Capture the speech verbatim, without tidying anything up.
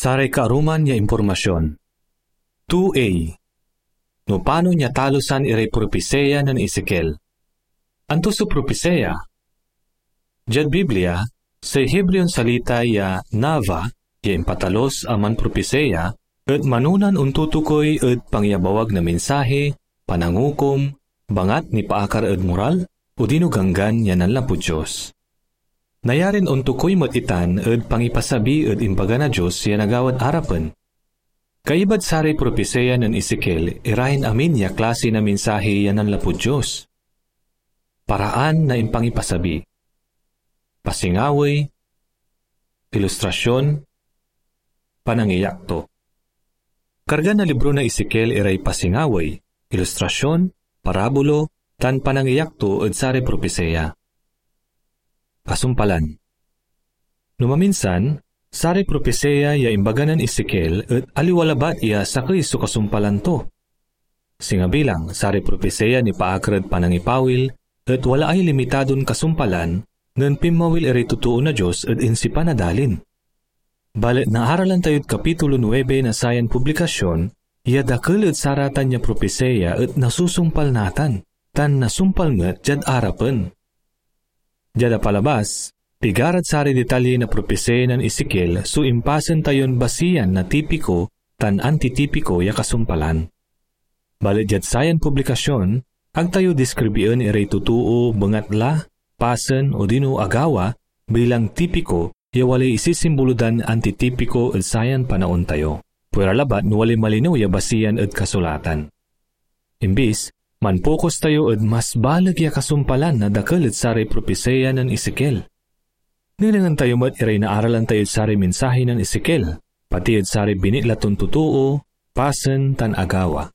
Saray kaaruman ya impormasyon. Two A. No panon ya talosan iray propisiya nen Ezekiel. Anto so propisiya? Diad Biblia, say Hebreon salita ya nava ya impatalos a manpropisiya et manonan ontutukoy ed pangiyabawag na mensahe, panangukom, bangat nipaakar ed moral, odino Ganggan ya nanlapud Dios. Nayarin ontukoy met itan ed pangipasabi ed imbaga na Dios ya nagawad arapen. Kaibad saray propisiya nen Ezekiel irayan amin ya klase na mensahe ya nanlapud Dios. Paraan na impangipasabi, pasingawey, ilustrasyon, panangiyakto. Karga na libro na Ezekiel iray pasingawey, ilustrasyon, parabulo, tan panangiyakto ed saray propisiya. Kasumpalan. No maminsan, saray propisiya ya imbaga nen Ezekiel et aliwa labat ya sakey so kasumpalan to. Singa bilang, saray propisiya nipaakar ed panangipawil et walaay limitadon kasumpalan nen pinmawil iray totoo na Dios ed insipan a dalin. Balet naaralan tayod kapitulo nuebe na sayan publikasyon ya dakel ed saratan ya propisiya et nasusumpal natan, tan nasumpal met diad arapen. Diad apalabas, pigarad saray detalye na propisiya nen Ezekiel so impasen tayon basiyan na tipiko tan antitipiko ya kasumpalan. Balet diad sayan publikasyon, ag tayo diskribien iray totoo bengatla, pasen, odino agawa bilang tipiko ya walay isisimbolo dan antitipiko ed sayan panaon tayo. Pwera labat no walay malinew ya basiyan ed kasulatan. Imbis, manpokus tayo ed mas baleg ya kasumpalan na dakel ed saray propisiya nen Ezekiel. Nenengneng tayo met iray naaralan tayod saray mensahe nen Ezekiel, pati ed saray binitla ton totoo, pasen, tan agawa.